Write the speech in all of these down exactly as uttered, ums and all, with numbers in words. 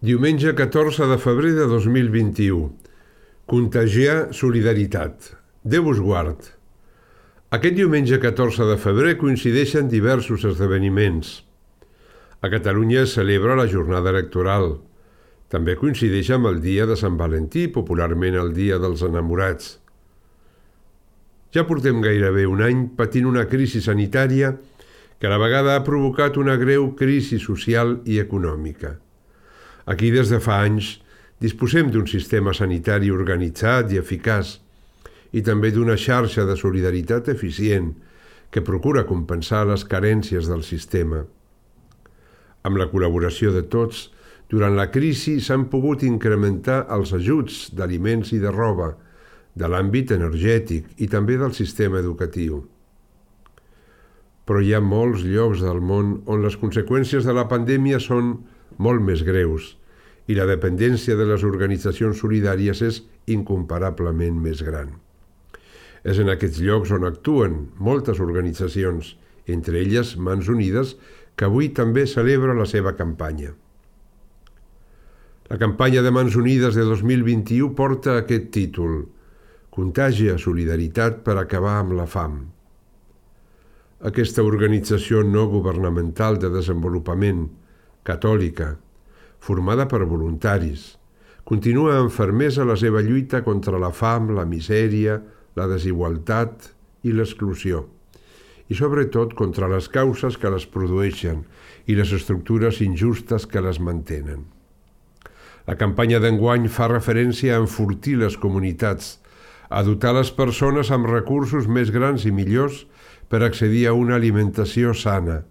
Diumenge catorze de febrer de dos mil vint-i-u. Contagiar solidaritat. Déu us guard. Aquest diumenge catorze de febrer coincideixen diversos esdeveniments. A Catalunya es celebra la jornada electoral. També coincideix amb el dia de Sant Valentí, popularment el dia dels enamorats. Ja portem gairebé un any patint una crisi sanitària que a la vegada ha provocat una greu crisi social i econòmica. Aquí, des de fa anys, disposem d'un sistema sanitari organitzat i eficaç i també d'una xarxa de solidaritat eficient que procura compensar les carències del sistema. Amb la col·laboració de tots, durant la crisi s'han pogut incrementar els ajuts d'aliments i de roba, de l'àmbit energètic i també del sistema educatiu. Però hi ha molts llocs del món on les conseqüències de la pandèmia són molt més greus i la dependència de les organitzacions solidàries és incomparablement més gran. És en aquests llocs on actuen moltes organitzacions, entre elles Mans Unides, que avui també celebra la seva campanya. La campanya de Mans Unides de dos mil vint-i-u porta aquest títol: Contagia solidaritat per acabar amb la fam. Aquesta organització no governamental de desenvolupament, catòlica, formada per voluntaris, continua amb fermesa la seva lluita contra la fam, la misèria, la desigualtat i l'exclusió, i sobretot contra les causes que les produeixen i les estructures injustes que les mantenen. La campanya d'enguany fa referència a enfortir les comunitats, a dotar les persones amb recursos més grans i millors per accedir a una alimentació sana,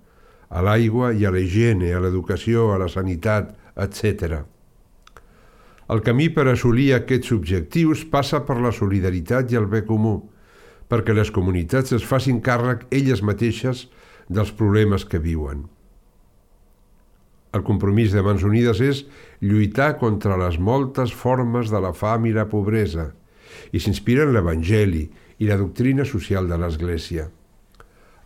a l'aigua i a la higiene, a l'educació, a la sanitat, etcètera. El camí per assolir aquests objectius passa per la solidaritat i el bé comú, perquè les comunitats es facin càrrec elles mateixes dels problemes que viuen. El compromís de Mans Unides és lluitar contra les moltes formes de la fam i la pobresa i s'inspira en l'Evangeli i la doctrina social de l'Església.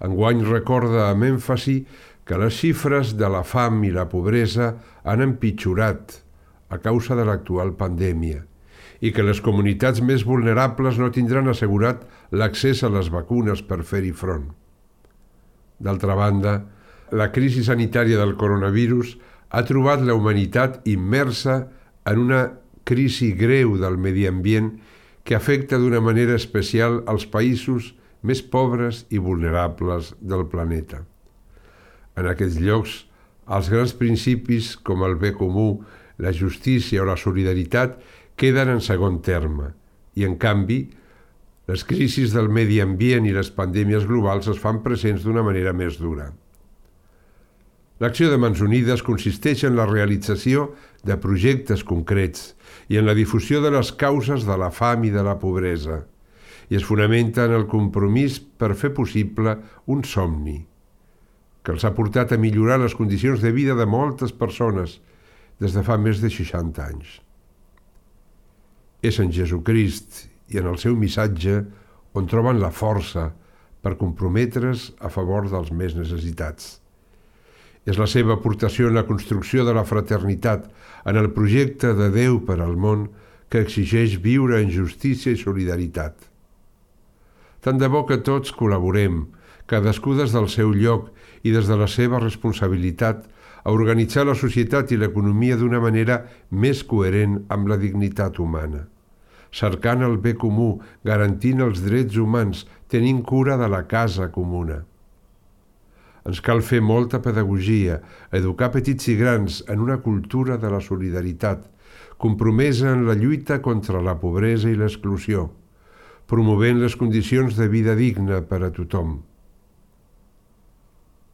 Enguany recorda amb èmfasi que les xifres de la fam i la pobresa han empitjorat a causa de l'actual pandèmia i que les comunitats més vulnerables no tindran assegurat l'accés a les vacunes per fer-hi front. D'altra banda, la crisi sanitària del coronavirus ha trobat la humanitat immersa en una crisi greu del medi ambient que afecta d'una manera especial als països més pobres i vulnerables del planeta. En aquests llocs, els grans principis com el bé comú, la justícia o la solidaritat queden en segon terme i, en canvi, les crisis del medi ambient i les pandèmies globals es fan presents d'una manera més dura. L'acció de Mans Unides consisteix en la realització de projectes concrets i en la difusió de les causes de la fam i de la pobresa, i es fonamenta en el compromís per fer possible un somni que els ha portat a millorar les condicions de vida de moltes persones des de fa més de seixanta anys. És en Jesucrist i en el seu missatge on troben la força per comprometre's a favor dels més necessitats. És la seva aportació en la construcció de la fraternitat, en el projecte de Déu per al món que exigeix viure en justícia i solidaritat. Tant de bo que tots col·laborem, cadascú des del seu lloc i des de la seva responsabilitat, a organitzar la societat i l'economia d'una manera més coherent amb la dignitat humana, cercant el bé comú, garantint els drets humans, tenint cura de la casa comuna. Ens cal fer molta pedagogia, educar petits i grans en una cultura de la solidaritat, compromesa en la lluita contra la pobresa i l'exclusió, promovent les condicions de vida digna per a tothom.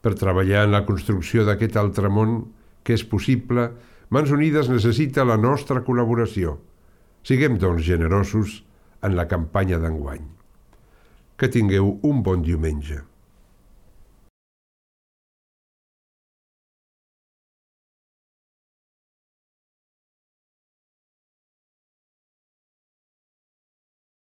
Per treballar en la construcció d'aquest altre món que és possible, Mans Unides necessita la nostra col·laboració. Siguem, doncs, generosos en la campanya d'enguany. Que tingueu un bon diumenge.